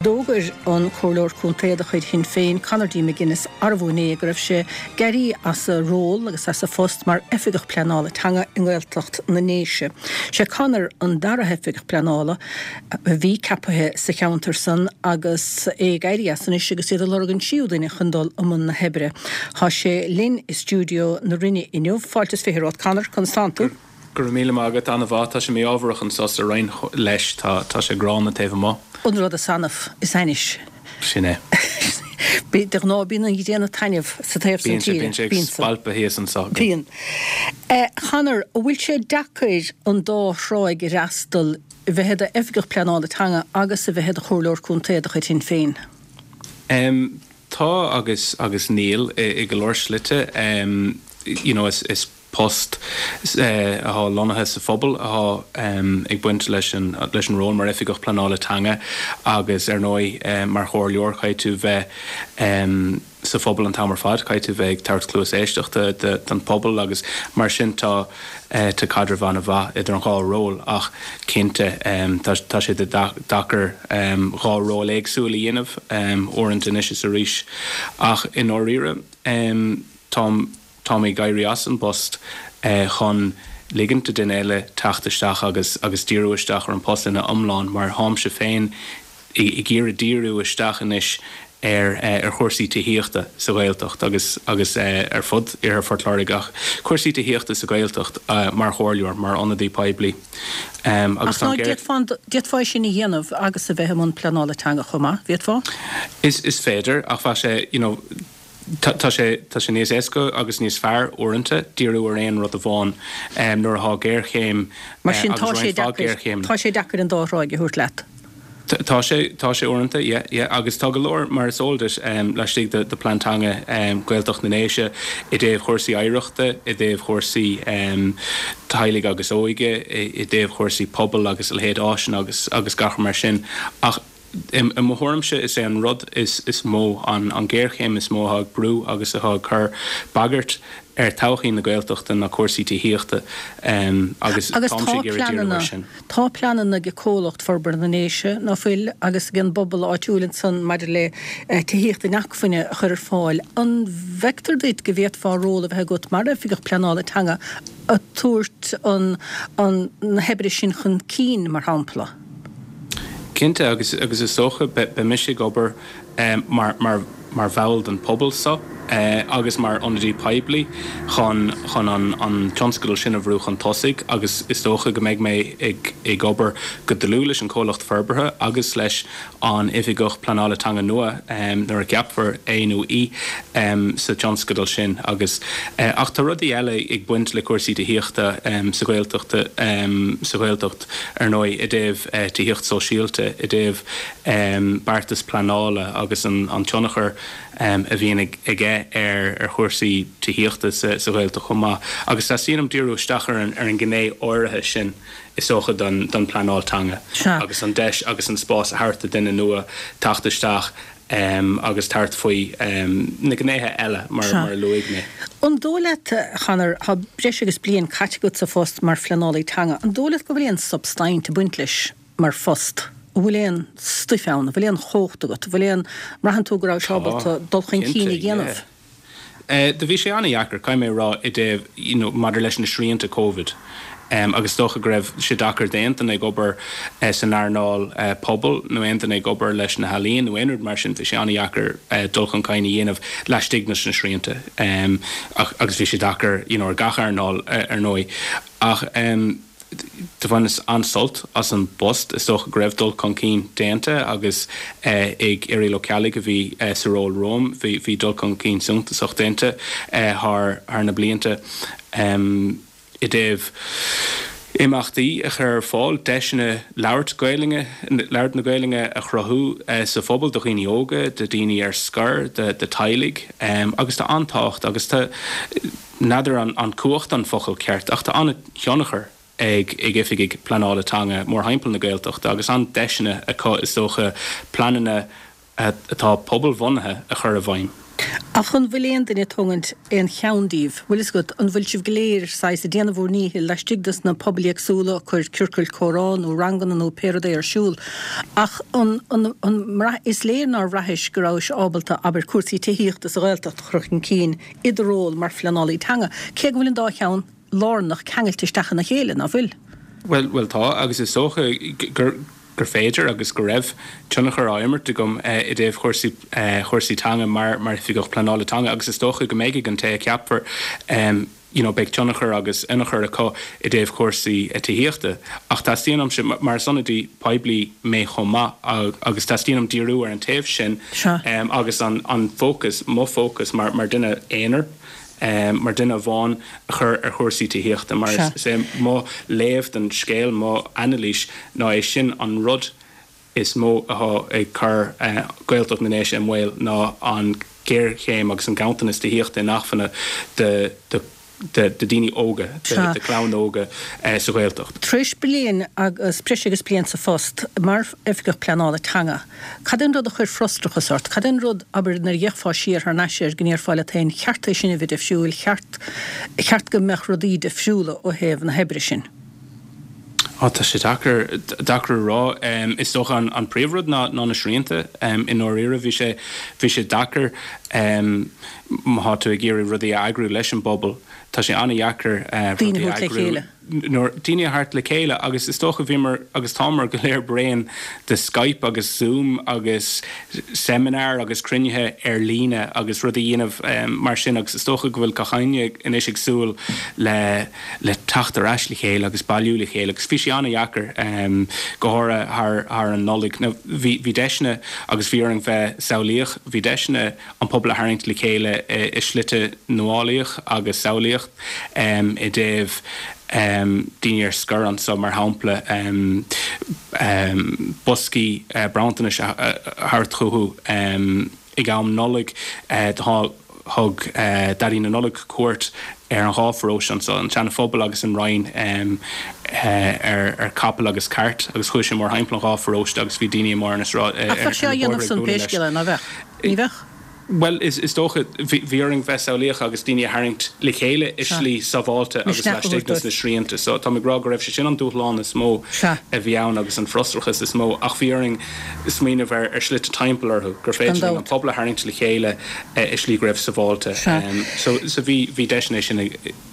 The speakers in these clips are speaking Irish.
D'fhógair an Comhairleoir Contae de chuid Shinn Féin, Conor D. McGuinness, arbú inné go raibh sé ag éirí as a ról agus as a phost mar Oifigeach Pleanála Teanga i nGaeltacht na nDéise. Sé Conor an dara hOifigeach Pleanála a bhí ceapaithe sa cheantar san agus é ag éirí as anois agus iad ag lorg an tríú duine chun dul i mbun na hoibre. Tá sé linn i stiúideo na Rinne inniu. Fáilte is 20 romhat Conor, conas tánn tú? Go raibh míle maith agat, an-mhaith. Tá sé mí-ámharach anso sa Rinn leis, tá sé gránna taobh amuigh. An rud is annamh, is ainnis. Sin é. De ghnáth bíonn an ghrian ag taitneamh sa taobh san tíre. Bíonn sé, bíonn sé ag spalpadh thíos anso. Bíonn. A Chonor, an bhfuil sé deacair an dá thráigh a fhreastal, a bheith i d'oifigeach pleanála teanga agus a bheith i do chomhairleoir contae de chuid Shinn Féin? Tá agus agus níl, i go leor slite. You know, is is. post atá lonnaithe sa phobal atá ag baint leis an leis an ról mar Oifigeach Pleanála Teanga agus ar ndóigh mar chomhairleoir caithfidh tú bheith sa phobal an t-am ar fad, caithfidh tú bheith ag tabhairt cluas éisteachta don phobal agus mar sin tá tá caidreamh an-mhaith idir an dhá ról ach cinnte tá tá sé deacair dhá ról éagsúil a dhéanamh uaireanta anois is arís ach i ndáiríre táim Táim ag éirí as an bpost chun ligint do duine eile teacht isteach agus agus díriú isteach ar an post ina iomlán mar tháimse féin ag iarraidh díriú isteach anois ar ar chúrsaí tithíochta sa Ghaeltacht agus agus ar fud Iarthar Phort Láirge ach cúrsaí tithíochta sa Ghaeltacht mar chomhairleoir, mar ionadaí poiblí agus Ach ná d'fhéadfá d'fhéadfá é sin a dhéanamh agus a bheith i mbun pleanála teanga chomh maith, bhféadfá? Is is féidir ach bheadh sé you know Tá sé tá sé níos éasca agus níos fearr uaireanta díriú ar aon rud amháin nuair atá géarchéim Mar sin tá sé deacair tá sé deacair an dá thráigh a thabhairt leat. Tá sé tá sé uaireanta yeah yeah agus tá go leor mar is eol duit laistigh de de Plean Teanga Gaeltacht na nDéise i dtaobh chúrsaí oidhreachta, i dtaobh chúrsaí teaghlaigh agus óige, i dtaobh chúrsaí pobail agus a leithéid áiseanna agus agus gach mar sin ach I mo thuairimse, is é an rud is mó, an ghéarchéim is mó atá ag brú agus atá ag cur bagairt ar todhchaí na Gaeltachta ná cúrsaí tithíochta agus táimse ag iarraidh díriú air sin. Tá pleananna ag Comhlucht Forbartha na nDéise, ná fuil, agus ag an bpobal áitiúil ansan maidir le tithíocht inacmhainne a chur ar fáil. An bhfeictear duit go bhféadfá ról a bheith agat mar Oifigeach Pleanála Teanga ag tabhairt na hoibre sin chun cinn, mar shampla? Cinnte, agus agus is dócha beidh mise ag obair mar mar mar bhall den phobal so agus mar ionadaí poiblí chun chun an an tionscadal sin a bhrú chun tosaigh agus is dócha go mbeidh mé ag ag obair go dlúth leis an chomhlacht forbartha agus leis an Oifigeach Pleanála Teanga nua nuair a cheapfar é nó í sa tionscadal sin agus ach tá rudaí eile ag baint le cúrsaí tithíochta sa Ghaeltacht sa Ghaeltacht ar ndóigh i dtaobh tithíocht sóisialta, i dtaobh beartas pleanála agus an tionchar a bhíonn aige ar chúrsaí tithíochta sa Ghaeltacht chomh maith agus teastaíonn uaim díriú isteach ar an ghné áirithe sin. is dócha, don pleanáil teanga agus an deis agus an spás a thabhairt do duine nua teacht isteach agus tabhairt faoi na gnéithe eile mar a luaigh mé. An dóigh leat, a Chonor, tá breis agus bliain caite agat sa phost mar phleanálaí teanga, an dóigh leat go bhfuil aon substaint ag baint leis mar phost? An bhfuil aon stuif ann? An bhfuil aon chumhacht agat? An bhfuil aon, mbraitheann tú go rabhais ábalta dul chun cinn a dhéanamh? Do bhí sé an-dheacair, caithfidh mé a rá, i dtaobh, you know, maidir leis na srianta Covid. Agus is dócha go raibh sé deacair d'aon duine ag obair san earnáil pobail nó aon duine ag obair leis na healaíon nó aon rud mar sin, bhí sé an-dheacair dul chun cinn a dhéanamh laistigh de na srianta. Ach, agus bhí sé deacair, you know, ar gach earnáil, ar ndóigh. Ach. Do bhaineas an-sult as an bpost. Is dócha go raibh dul chun cinn déanta agus ag Irial Ó Ceallaigh a bhí sa ról romham, bhí dul chun cinn suntasach déanta thar na blianta i dtaobh imeachtaí a chur ar fáil, deiseanna labhairt Gaelainne, labhairt na Gaelainne a chruthú sa phobal do dhaoine óga, do dhaoine ar scor, do teaghlaigh agus tá an-tábhacht agus tá, n'fheadar an cumhacht an focal ceart ach tá an-thionchar ag oifigigh pleanála teanga mórthimpeall na Gaeltachta agus an-deiseanna acu is dócha pleananna atá pobalbhunaithe a chur i bhfeidhm. Ach an bhfuil aon duine ag tógaint aon cheann díobh? Bhfuil fhios agat, an bhfuil sibh go léir saghas ag déanamh bhur ndíchill laistigh dos na pobail éagsúla, ag cur ciorcail comhrá nó ranganna nó pé rud é ar siúl, ach an, an, an mbraith, is léir nár bhraithis go rabhais ábalta, abair, cúrsaí tithíochta sa Ghaeltacht a chur chun cinn i do ról mar phleanálaí teanga, cé go bhfuil an dá cheann lárnach ceangailte isteach ina chéile, ná fuil? Bhuel, bhuel tá, agus is dócha gur, gur féidir agus go raibh tionchar á imirt agam i dtaobh chúrsaí chúrsaí teanga mar mar Oifigeach Pleanála Teanga agus is dócha go mbeidh ag an té a cheapfar you know beidh tionchar agus ionchur acu i dtaobh chúrsaí tithíochta. Ach teastaíonn uaimse, mar is ionadaí poiblí mé chomh maith agus teastaíonn uaim díriú ar an taobh sin agus an an fócas, mo fócas mar mar duine aonair, mar duine amháin a chur ar chúrsaí tithíochta mar is é mo léamh den scéal, mo anailís ná é sin an rud is mó atá ag cur Gaeltacht na nDéise i mbaol ná an ghéarchéim agus an ganntanas tithíochta inacmhainne do do daoine óga, do chlann óga sa Ghaeltacht. Tar éis bliain agus breis agus bliain sa phost mar Oifigeach Pleanála Teanga, Cad é an rud a chuir frustrachas ort? Cad é an rud, abair, nuair a d'fhéachfá siar thar n-ais air go ndéarfá leat féin, cheart é sin a bheith difriúil, cheart, cheart go mbeadh rudaí difriúla ó thaobh na hoibre sin? Á, tá sé deacair, deacair a rá. Is dócha an, an príomhrud ná, ná na srianta. I ndáiríre, bhí sé, bhí sé deacair má thá tú ag iarraidh rudaí a eagrú leis an bpobal, tá sé an-dheacair rudaí a eagrú. nuair daoine a thabhairt le chéile agus is dócha bhíomar agus táimid go léir bréan de Skype agus Zoom agus seimineáir agus cruinnithe ar líne agus rudaí a dhéanamh mar sin agus is dócha go bhfuil gach éinne anois ag súil le le teacht ar ais le chéile agus bailiú le chéile agus bhí sé an-dheacair go háirithe thar thar an Nollaig. Now bhí bhí deiseanna agus bhí orainn bheith samhlaíoch, bhí deiseanna an pobal a tharraingt le chéile i slite nuálaíoch agus samhlaíoch i dtaobh daoine ar scor anso, mar shampla, boscaí bronntanais a thabhairt chucu ag am Nollag. Thug Daidí na Nollag cuairt ar an dhá pharóiste anso, an Seana Phobal agus an Rinn, ar chapall agus cairt agus chuaigh sé mórthimpeall an dhá pharóiste agus bhí daoine amuigh ar na sráideanna, ar na bóithre ag bualadh leis. Ní bheadh? Bhuel, is dócha, bhí orainn bheith samhlaíoch agus daoine a tharraingt le chéile i slí sábháilte agus laistigh dos na srianta. So, táim ag rá go raibh sé sin an dúshlán is mó a bhí ann agus an frustrachas is mó ach bhí orainn smaoineamh ar shlite timpeall orthu, gur féidir linn an pobal a tharraingt le chéile i slí go raibh sábháilte. So, bhí deiseanna é sin a.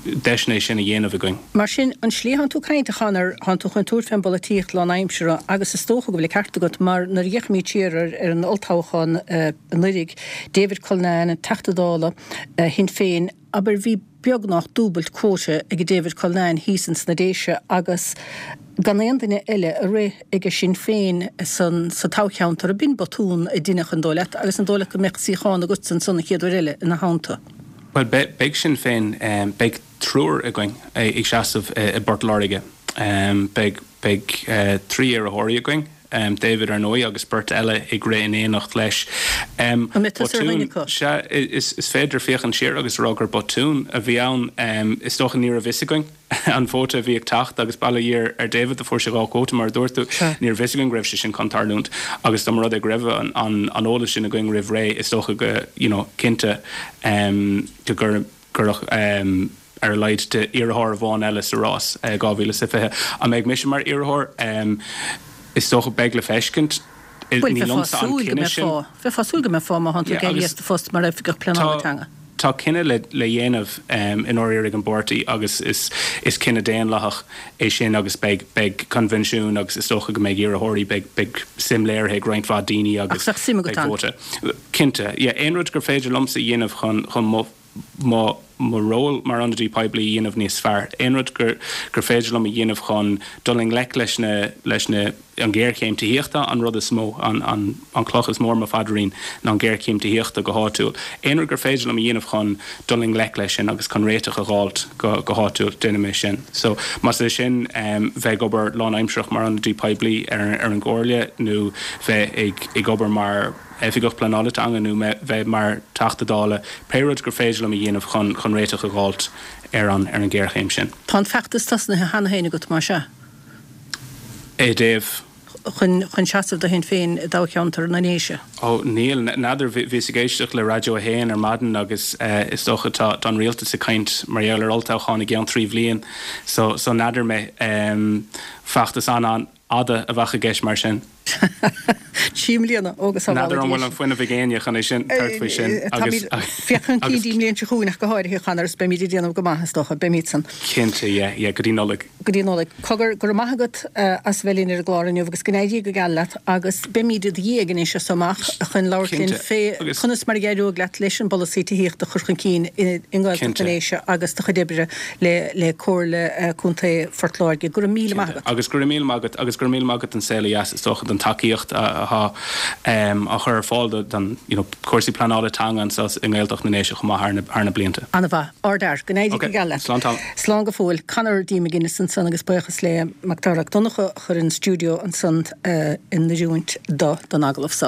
deiseanna é sin a dhéanamh againn. Mar sin, an slí a thánn tú ag caint, a Chonor, thánn tú chun tabhairt fén bpolaitíocht lánaimseartha agus is dócha go bhfuil an ceart agat mar nuair a fhéachaimid siar ar ar an olltoghchán anuiridh, David Cullinane, Teachta Dála Shinn Féin, abair, bhí beagnach dúbailt quota ag David Cullinane thíos ins na Déise agus gan aon duine eile a rith ag Sinn Féin san sa toghcheantar, b'in botún a deineadh an dóigh leat agus an dóigh leat go mbeadh suíochán agatsa ansan an chéad uair eile ina theannta? Bhuel, beidh Sinn Féin, beidh triúr againn ag seasamh i bPort Láirge. Beidh, beidh trí iarrthóirí againn, David ar ndóigh agus beirt eile ag rith in éineacht leis. An mbeidh tusa ar dhuine acu? Sea, is féidir féachaint siar agus a rá gur botún a bhí ann. Is dócha ní raibh fhios againn. an vóta a bhí ag teacht agus bail ó Dhia ar David do fuair sé 2 quota mar a dúirt tú. Ní raibh fhios againn go raibh sé sin chun tarlúint agus dá mba rud é go raibh an an eolas sin againn roimh ré is dócha go you know cinnte go gcuirfeadh ar a laghad d'iarrthóir amháin eile sa rás 2020. An mbeidh mise mar iarrthóir? Is dócha beidh le feiscint. Bhuel Ní bheifeá liomsa an súil go cinneadh sin. mbeifeá. Bheifeá súil go mbeifeá má thánn tú ag éirí as do phost mar Oifigeach Pleanála Teanga. Tá cinneadh le le dhéanamh i ndáiríre ag an bpáirtí agus is is cinneadh daonlathach é sin agus beidh beidh coinbhinsiún agus is dócha go mbeidh iarrthóirí, beidh beidh suim léirithe ag roinnt mhaith daoine agus Ach bheadh suim agat beidh ann. vóta. Cinnte, yeah. Aon rud gur féidir liomsa a dhéanamh chun chun mo mo mo ról mar ionadaí poiblí a dhéanamh níos fearr, aon rud gur gur féidir liom a dhéanamh chun dul i ngleic leis na leis na an ghéarchéim tithíochta an rud is mó, an an an cloch is mó ar mo phaidrín ná an ghéarchéim tithíochta go háitiúil. Aon rud gur féidir liom a dhéanamh chun dul i ngleic leis sin agus chun réiteach a dh'fháilt go go háitiúil, déanfaidh mé sin. So, más é sin bheith ag obair lánaimsearach mar ionadaí poiblí ar ar an gComhairle nó bheith ag ag obair mar Oifigeach Pleanála Teanga nó bheith mar Teachta Dála, pé rud gur féidir liom a dhéanamh chun chun réiteach a dh'fháilt ar an ar an ghéarchéim sin. Tá an feachtas tosnaithe cheana féin agat, más ea? I dtaobh? chun chun seasamh do Shinn Féin i dtoghcheantar na nDéise? Ó, níl. N'fheadar. Bhíos ag éisteacht le Raidió 1 ar maidin agus is dócha tá an rialtas ag caint mar gheall ar olltoghchán i gceann 3 bhliain so so n'fheadar mé. Feachtas an-an-fhada a bheadh i gceist mar sin. 3 mbliana, ó go sábhála N'fheadar an bhfuil an fuinneamh ag éinne chun é sin, tabhairt faoi sin agus. Féach chun cinn dtí an mbliain seo chugainn ach go háirithe, a Chonor, is beimid ag déanamh go maith is dócha, beimid san. Cinnte, yeah, yeah, go dtí Nollaig. Go dtí Nollaig. Cogar, go raibh maith agat as a bheith linn ar an gclár inniu agus go n-éirí go geal leat agus beimid i do dhiaidh anois as so amach chun labhairt linn fé conas mar a d'éireoidh leat leis an bpolasaí tithíochta a chur chun cinn i nGaeltacht na nDéise agus do chuid oibre le le Comhairle Contae Phort Láirge. Go raibh míle maith agat. Agus go raibh míle maith agat agus go raibh míle maith agat don Saol Ó Dheas is dócha don tacaíocht atá á chur ar fáil don you know cúrsaí pleanála teanga anseo i nGaeltacht na nDéise chomh maith thar na blianta. An-mhaith. Ardfhear. Go n-éirí go geal leat. Slán tamall. Slán go fóill. Conor D. McGuinness ansan agus buíochas le Macdara Mac Donncha a chuir an stiúideo ansan in oiriúint do don agallamh so.